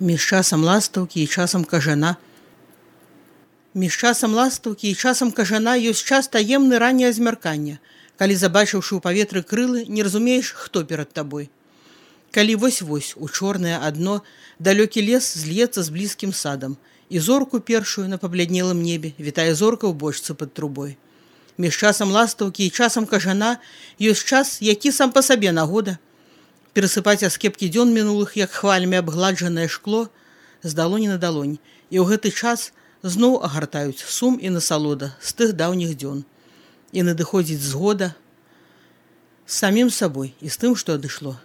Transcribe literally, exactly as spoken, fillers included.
Між часам ластаўкі і часам кажана. Між часам ластаўкі і часам кажана ёсць час таемны ранняе змяркання, калі, забачыўшы ў паветры крылы, не разумееш, хто перад табой. Калі вось-вось у чорнае адно далёкі лес зльецца з блізкім садам, і зорку першую на пабляднелым небе вітае зорка ў бочцы пад трубой. Між часам ластаўкі і часам кажана ёсць час, які сам па сабе нагода. Перасыпаць аскепкі дзён мінулых, як хвалямі абгладжанае шкло, з далоні на далонь, і ў гэты час зноў агартаюць сум і насалода з тых даўніх дзён. І надыходзіць згода з самім сабой і з тым, што адышло.